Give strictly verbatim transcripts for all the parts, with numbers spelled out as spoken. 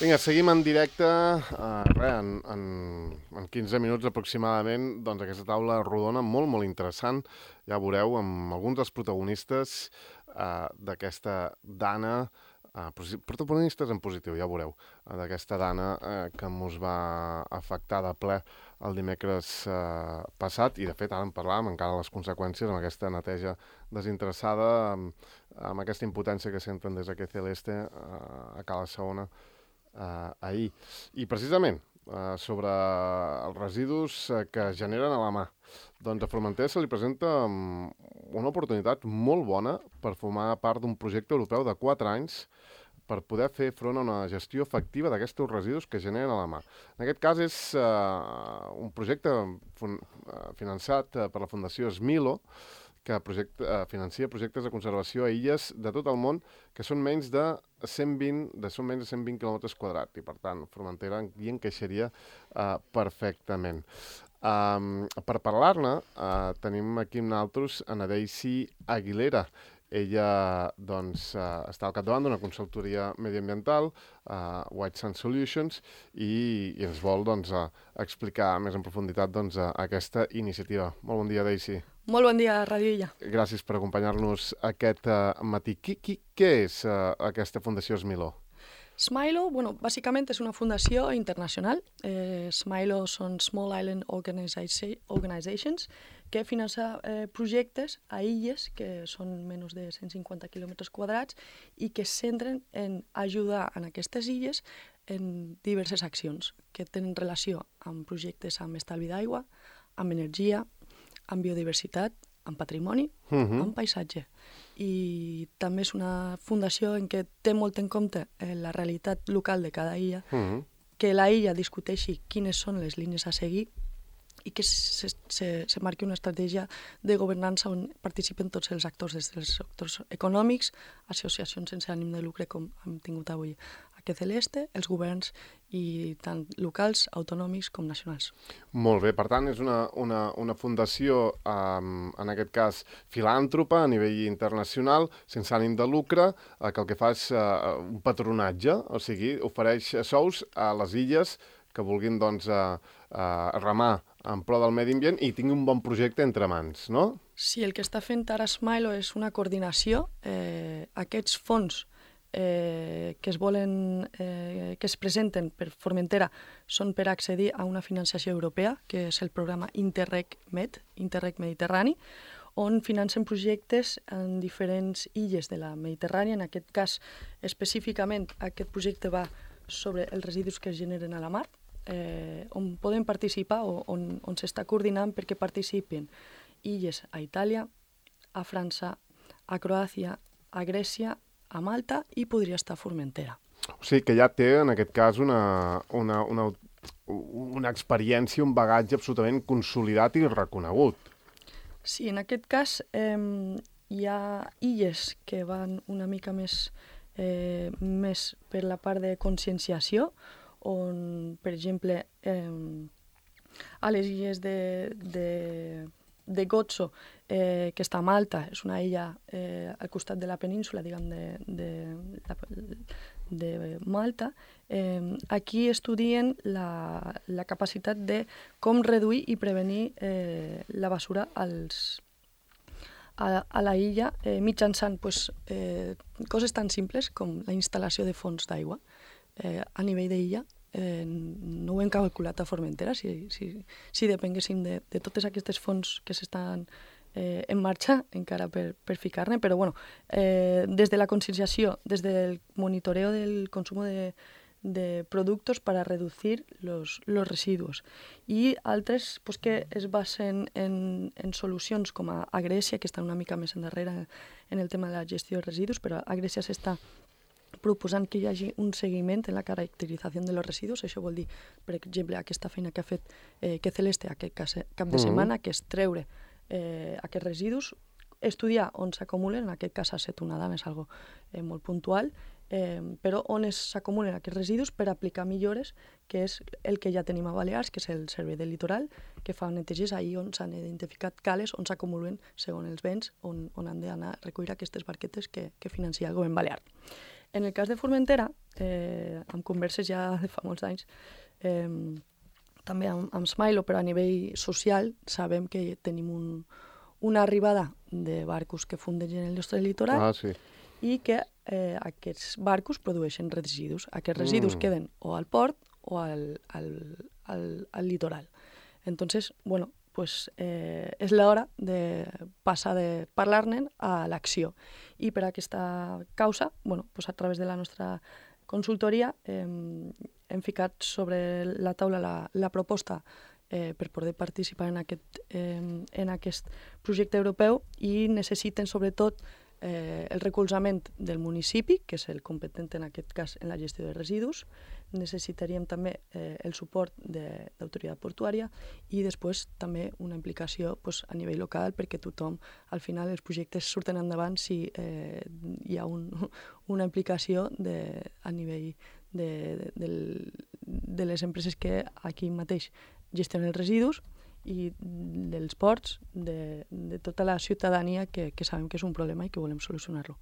Vinga, seguim en directe, uh, res, en, en, en quinze minuts aproximadament, doncs aquesta taula rodona molt, molt interessant, ja veureu, amb alguns dels protagonistes uh, d'aquesta dana, uh, protagonistes en positiu, ja veureu, uh, d'aquesta dana uh, que ens va afectar de ple el dimecres uh, passat, i de fet ara en parlàvem encara les conseqüències amb aquesta neteja desinteressada, amb, amb aquesta impotència que senten des d'aquest celeste uh, a Cala Segona, Uh, ahir. I precisament uh, sobre els residus uh, que es generen a la mà. Doncs a Formentera se li presenta um, una oportunitat molt bona per formar part d'un projecte europeu de quatre anys per poder fer front a una gestió efectiva d'aquests residus que generen a la mà. En aquest cas és uh, un projecte fun- uh, finançat uh, per la Fundació Smilo, que projecte, eh, financia projectes de conservació a illes de tot el món que són menys de cent vint, de, són menys de cent vint quilòmetres quadrats, i per tant Formentera hi encaixaria eh, perfectament. Um, per parlar-ne uh, tenim aquí amb nosaltres a Daisy Aguilera. Ella doncs, uh, està al capdavant d'una consultoria mediambiental, uh, White Sand Solutions, i, i ens vol doncs, uh, explicar més en profunditat doncs, uh, aquesta iniciativa. Molt bon dia, Daisy. Molt bon dia, Ràdio Illa. Gràcies per acompanyar-nos aquest uh, matí. Qui, qui, què és uh, aquesta Fundació Smilo? Smilo, bueno, bàsicament és una fundació internacional. Eh, Smilo són Small Island Organiza- Organizations que finança eh, projectes a illes que són menys de cent cinquanta quilòmetres quadrats i que es centren en ajudar en aquestes illes en diverses accions que tenen relació amb projectes amb estalvi d'aigua, amb energia, amb biodiversitat, amb patrimoni, uh-huh. amb paisatge. I també és una fundació en què té molt en compte eh, la realitat local de cada illa, uh-huh. que la illa discuteixi quines són les línies a seguir i que se, se, se marqui una estratègia de governança on participen tots els actors, des dels sectors econòmics, associacions sense ànim de lucre, com hem tingut avui aquest Celeste, els governs, i tant locals, autonòmics com nacionals. Molt bé, per tant, és una, una, una fundació, um, en aquest cas, filàntropa a nivell internacional, sense ànim de lucre, eh, que el que fa és uh, un patronatge, o sigui, ofereix sous a les illes que vulguin doncs, uh, uh, remar en pro del medi ambient i tingui un bon projecte entre mans, no? Sí, el que està fent ara Smilo és una coordinació. Eh, aquests fons Eh, que es volen, eh, que es presenten per Formentera són per accedir a una financiació europea, que és el programa Interreg Med, Interreg Mediterrani, on financen projectes en diferents illes de la Mediterrània. En aquest cas, específicament, aquest projecte va sobre els residus que es generen a la mar, eh, on poden participar o on, on s'està coordinant perquè participin illes a Itàlia, a França, a Croàcia, a Grècia, a Malta, i podria estar a Formentera. O sigui que ja té, en aquest cas, una, una, una, una experiència, un bagatge absolutament consolidat i reconegut. Sí, en aquest cas eh, hi ha illes que van una mica més, eh, més per la part de conscienciació, on, per exemple, eh, a les illes de... de de Gozo, eh, que està a Malta, és una illa eh, al costat de la península, diguem, de, de, de Malta. Eh, aquí estudien la, la capacitat de com reduir i prevenir eh, la basura als, a, a la illa eh, mitjançant pues, eh, coses tan simples com la instal·lació de fonts d'aigua eh, a nivell d'illa. Eh, no ho hem calculat a Formentera, si, si, si depenguéssim de, de totes aquestes fonts que s'estan eh, en marxa encara per, per ficar-ne, però bueno, eh, des de la conscienciació, des del monitoreo del consum de, de productos para reducir los, los residuos, i altres pues, que es basen en, en solucions com a, a Grècia, que està una mica més endarrere en el tema de la gestió de residus, però a Grècia s'està proposant que hi hagi un seguiment en la caracterització de los residus. Això vol dir, per exemple, aquesta feina que ha fet eh, que Celeste aquest cap de setmana, que és treure eh, aquests residus, estudiar on s'acumulen, en aquest cas ha estat una dana, és algo eh, molt puntual, eh, però on s'acumulen aquests residus per aplicar millores, que és el que ja tenim a Balears, que és el Servei del Litoral, que fa neteges ahir on s'han identificat cales on s'acumulen, segons els vents, on, on han d'anar a recollir aquestes barquetes que, que financia el govern balear. En el cas de Formentera, eh, amb converses ja de fa molts anys, eh, també amb, amb Smilo, però a nivell social sabem que tenim un, una arribada de barcos que fundegen el nostre litoral Ah, sí. i que eh, aquests barcos produeixen residus. Aquests residus Mm. queden o al port o al, al, al, al litoral. Entonces, bueno, pues, eh, és l'hora de passar de parlar-ne a l'acció. I per aquesta causa, bueno, pues a través de la nostra consultoria eh, hem ficat sobre la taula la, la proposta eh, per poder participar en aquest, eh, en aquest projecte europeu i necessiten sobretot eh, el recolzament del municipi, que és el competent en aquest cas en la gestió de residus. Necessitaríem també eh, el suport de l'autoritat portuària i després també una implicació pues, a nivell local, perquè tothom, al final, els projectes surten endavant si eh, hi ha un, una implicació de, a nivell de, de, del, de les empreses que aquí mateix gestionen els residus i dels ports, de, de tota la ciutadania que, que sabem que és un problema i que volem solucionar-lo.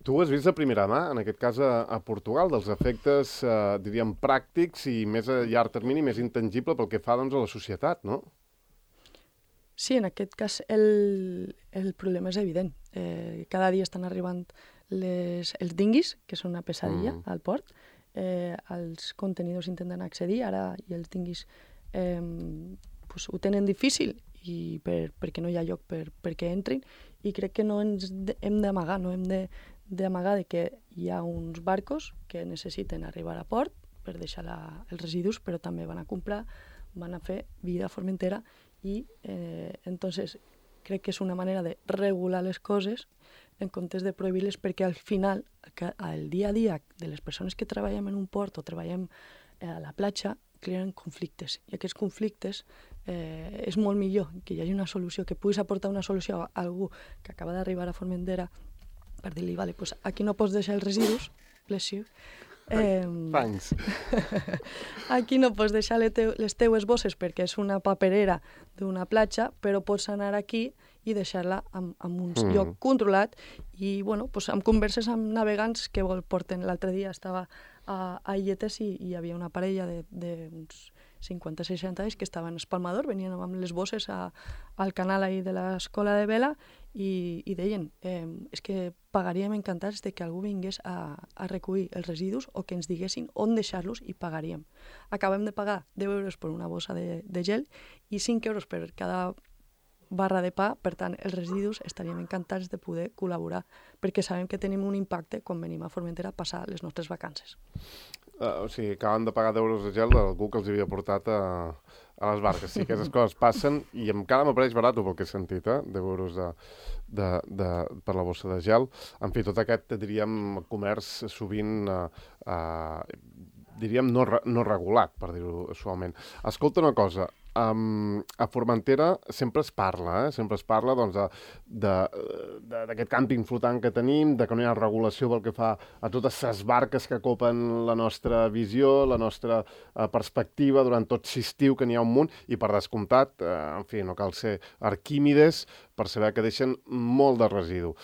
Tu ho has vist de primera mà, en aquest cas a, a Portugal, dels efectes, eh, diríem, pràctics i més a llarg termini, més intangible pel que fa doncs, a la societat, no? Sí, en aquest cas el, el problema és evident. Eh, cada dia estan arribant les, els dinguis, que són una pesadilla mm. al port. Eh, els contenidors intenten accedir, ara i els dinguis eh, pues, ho tenen difícil i per, perquè no hi ha lloc per, perquè entrin, i crec que no ens de, hem d'amagar, no hem de, d'amagar de que hi ha uns barcos que necessiten arribar a port per deixar la, els residus, però també van a comprar, van a fer vida a Formentera i eh, entonces crec que és una manera de regular les coses en comptes de prohibir-les, perquè al final, el dia a dia de les persones que treballem en un port o treballem a la platja, creen conflictes, i aquests conflictes eh, és molt millor que hi hagi una solució, que puguis aportar una solució a algú que acaba d'arribar a Formentera per dir-li, vale, pues aquí no pots deixar els residus, bless you, eh, Thanks. aquí no pots deixar les, teu, les teues bosses perquè és una paperera d'una platja, però pots anar aquí i deixar-la en, en un mm. lloc controlat i, bueno, pues, amb converses amb navegants que porten. L'altre dia estava a, a Illetes i hi havia una parella d'uns cinquanta seixanta anys que estaven a Espalmador, venien amb les bosses a, al canal ahí de l'escola de vela i, i deien, eh, és que pagaríem encantats de que algú vingués a, a recollir els residus o que ens diguessin on deixar-los i pagaríem. Acabem de pagar deu euros per una bossa de, de gel i cinc euros per cada barra de pa, per tant, els residus estaríem encantats de poder col·laborar, perquè sabem que tenim un impacte quan venim a Formentera a passar les nostres vacances. Uh, o sigui, acaben de pagar deu euros de gel d'algú que els havia portat a, a les barques. Sí, aquestes coses passen i encara m'apareix barat pel que he sentit, eh? deu euros de, de, de, per la bossa de gel. En fi, tot aquest, diríem, comerç sovint, uh, uh, diríem, no, no regulat, per dir-ho suaument. Escolta una cosa, Um, a Formentera sempre es parla, eh? sempre es parla doncs, d'aquest càmping flotant que tenim, de que no hi ha regulació pel que fa a totes les barques que copen la nostra visió, la nostra uh, perspectiva durant tot l'estiu, que n'hi ha un munt, i per descomptat, uh, en fi, no cal ser Arquímedes per saber que deixen molt de residu.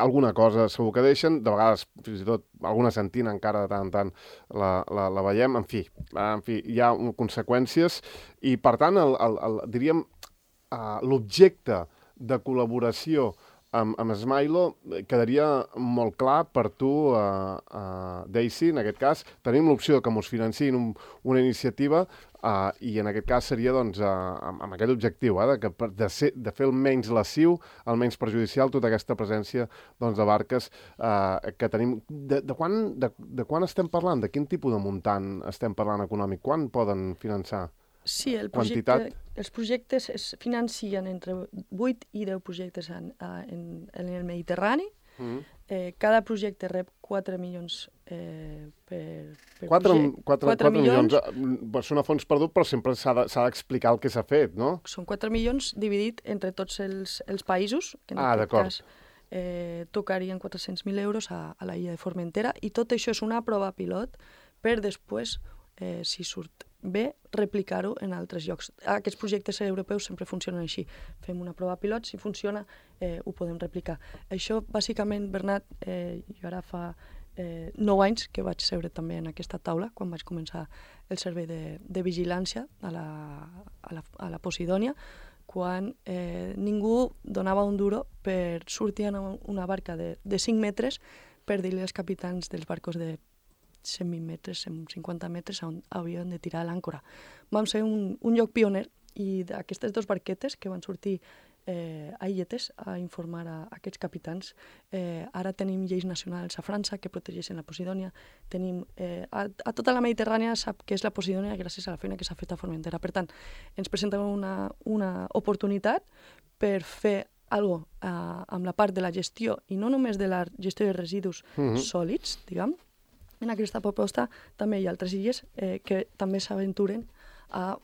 Alguna cosa segur que deixen, de vegades fins i tot alguna sentina encara de tant en tant la, la, la veiem, en fi, en fi, hi ha conseqüències i per tant el, el, el, diríem uh, l'objecte de col·laboració amb, amb Smilo quedaria molt clar per tu, uh, uh, Daisy, en aquest cas tenim l'opció que ens financiïn un, una iniciativa uh, i en aquest cas seria doncs, uh, amb, amb aquest objectiu, eh, de, que, de, ser, de fer el menys lesiu, el menys perjudicial tota aquesta presència doncs, de barques uh, que tenim. De, de, quan, de, de quan estem parlant? De quin tipus de muntant estem parlant econòmic? Quan poden finançar? Sí, el projecte, els projectes es financien entre vuit i deu projectes en, en, en el Mediterrani. Mm. Eh, cada projecte rep quatre milions eh, per, per quatre, projecte. quatre, quatre milions. milions. Són a fons perdut, però sempre s'ha d'explicar de, el que s'ha fet, no? Són quatre milions dividit entre tots els, els països, que en ah, aquest cas eh, tocarien quatre-cents mil euros a, a la illa de Formentera, i tot això és una prova pilot per després, eh, si surt bé, replicar-ho en altres llocs. Aquests projectes europeus sempre funcionen així. Fem una prova pilot, si funciona, eh, ho podem replicar. Això, bàsicament, Bernat, eh, jo ara fa eh, nou anys que vaig seure també en aquesta taula, quan vaig començar el servei de, de vigilància a la, a la, a la Posidònia, quan eh, ningú donava un duro per sortir en una barca de, de cinc metres per dir-li als capitans dels barcos de cent vint metres, cent cinquanta metres, on havien de tirar l'àncora. Vam ser un, un lloc pioner, i d'aquestes dues barquetes que van sortir eh, a illetes a informar a, a aquests capitans, eh, ara tenim lleis nacionals a França que protegeixen la Posidònia, tenim eh, a, a tota la Mediterrània sap què és la Posidònia gràcies a la feina que s'ha fet a Formentera. Per tant, ens presenta una, una oportunitat per fer algo eh, amb la part de la gestió, i no només de la gestió de residus mm-hmm. sòlids, diguem. En aquesta proposta també hi ha altres illes eh, que també s'aventuren a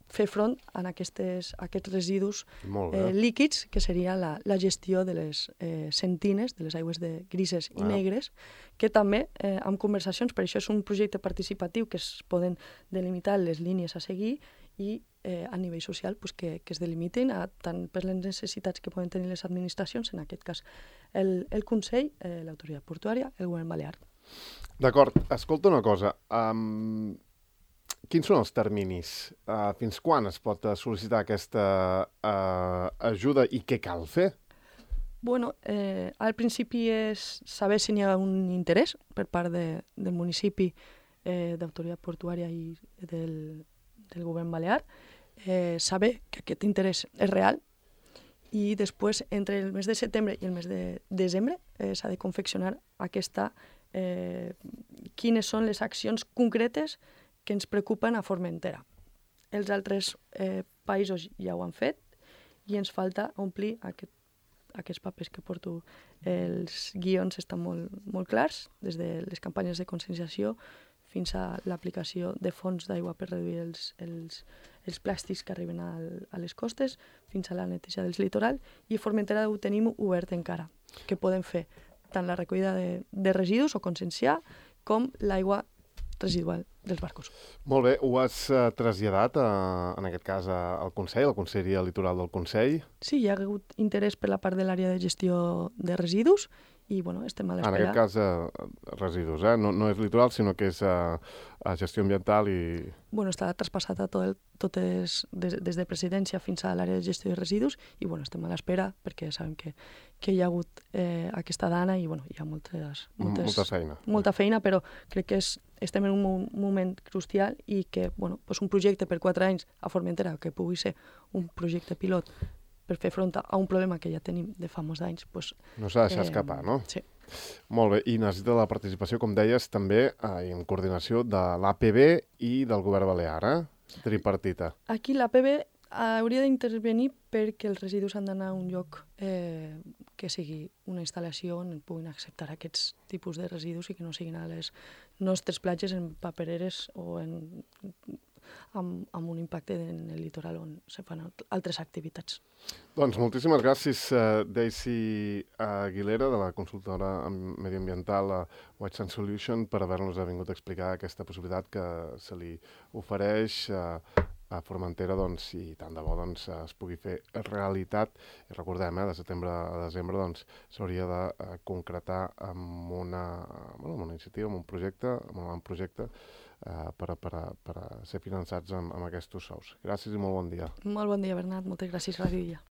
fer front a aquestes, a aquests residus eh, líquids, que seria la, la gestió de les eh, sentines, de les aigües de grises i ah. negres, que també, eh, amb conversacions, per això és un projecte participatiu que es poden delimitar les línies a seguir i eh, a nivell social pues, que, que es delimitin a, tant per les necessitats que poden tenir les administracions, en aquest cas el, el Consell, eh, l'autoritat portuària, el govern balear. D'acord, escolta una cosa. Um... Quins són els terminis? Uh, fins quan es pot sol·licitar aquesta uh, ajuda i què cal fer? Bueno, eh, al principi és saber si n'hi ha un interès per part de, del municipi, eh, d'autoritat portuària i del, del govern balear, eh, saber que aquest interès és real, i després, entre el mes de setembre i el mes de desembre, eh, s'ha de confeccionar aquesta, eh, quines són les accions concretes que ens preocupen a Formentera. Els altres eh, països ja ho han fet i ens falta omplir aquest, aquests papers que porto. Els guions estan molt, molt clars, des de les campanyes de conscienciació fins a l'aplicació de fons d'aigua per reduir els, els, els plàstics que arriben al, a les costes, fins a la neteja del litoral, i a Formentera ho tenim obert encara, que podem fer tant la recollida de, de residus o conscienciar com l'aigua residual dels barcos. Molt bé, ho has uh, traslladat, uh, en aquest cas, uh, al Consell, al Conselleria Litoral del Consell? Sí, hi ha hagut interès per la part de l'àrea de gestió de residus i, bueno, estem a l'espera. En aquest cas, uh, residus, eh? No, no és litoral, sinó que és uh, gestió ambiental i... Bueno, està traspassat a tot el, totes, des, des de presidència fins a l'àrea de gestió de residus i, bueno, estem a l'espera perquè sabem que, que hi ha hagut eh, aquesta dana i, bueno, hi ha moltes, moltes, molta feina. Molta feina, però crec que és, estem en un moment crucial i que, bueno, pues un projecte per quatre anys a Formentera, que pugui ser un projecte pilot per fer front a un problema que ja tenim de fa molts anys, pues, no s'ha de deixar eh, escapar, no? Sí. Molt bé, i necessita la participació, com deies, també eh, en coordinació de l'A P B i del govern balear, eh? Tripartita. Aquí l'A P B hauria d'intervenir perquè els residus han d'anar a un lloc eh, que sigui una instal·lació on puguin acceptar aquests tipus de residus i que no siguin a les nostres platges en papereres o en, amb, amb un impacte en el litoral on se fan altres activitats. Doncs moltíssimes gràcies, uh, Daisy Aguilera, de la consultora mediambiental uh, White Sand Solution, per haver-nos vingut a explicar aquesta possibilitat que se li ofereix uh, a Formentera, doncs, i tant de bo doncs, es pugui fer realitat. I recordem, eh, de setembre a desembre doncs, s'hauria de uh, concretar amb una, bueno, amb una iniciativa, amb un projecte, amb un projecte uh, per, a, per, a, per a ser finançats amb, amb aquests sous. Gràcies i molt bon dia. Molt bon dia, Bernat. Moltes gràcies, Ràdio Illa.